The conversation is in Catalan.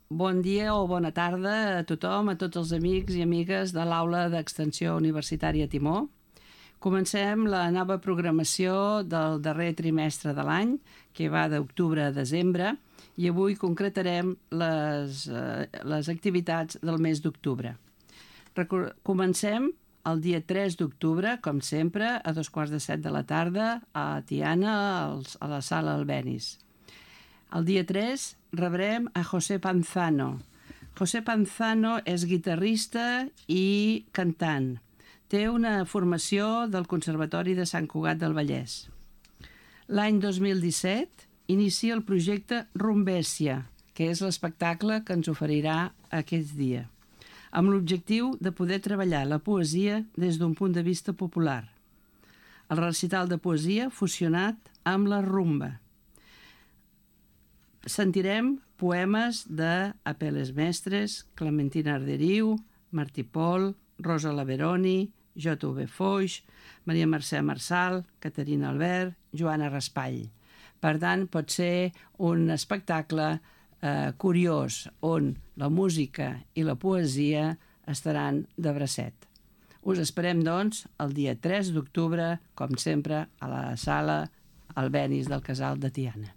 Bon dia o bona tarda a tothom, a tots els amics i amigues de l'Aula d'Extensió Universitària Timó. Comencem la nova programació del darrer trimestre de l'any, que va d'octubre a desembre, i avui concretarem les activitats del mes d'octubre. Comencem el dia 3 d'octubre, com sempre, a 2:15 de la tarda, a Tiana, a la sala Albéniz. El dia 3 rebrem a José Panzano. José Panzano és guitarrista i cantant. Té una formació del Conservatori de Sant Cugat del Vallès. L'any 2017 inicia el projecte Rumbèsia, que és l'espectacle que ens oferirà aquest dia, amb l'objectiu de poder treballar la poesia des d'un punt de vista popular. El recital de poesia fusionat amb la rumba. Sentirem poemes de Apel·les Mestres, Clementina Arderiu, Martí Pol, Rosa Laveroni, J.V. Foix, Maria Mercè Marçal, Caterina Albert, Joana Raspall. Per tant, pot ser un espectacle curiós on la música i la poesia estaran de bracet. Us esperem, doncs, el dia 3 d'octubre, com sempre, a la sala Albéniz del Casal de Tiana.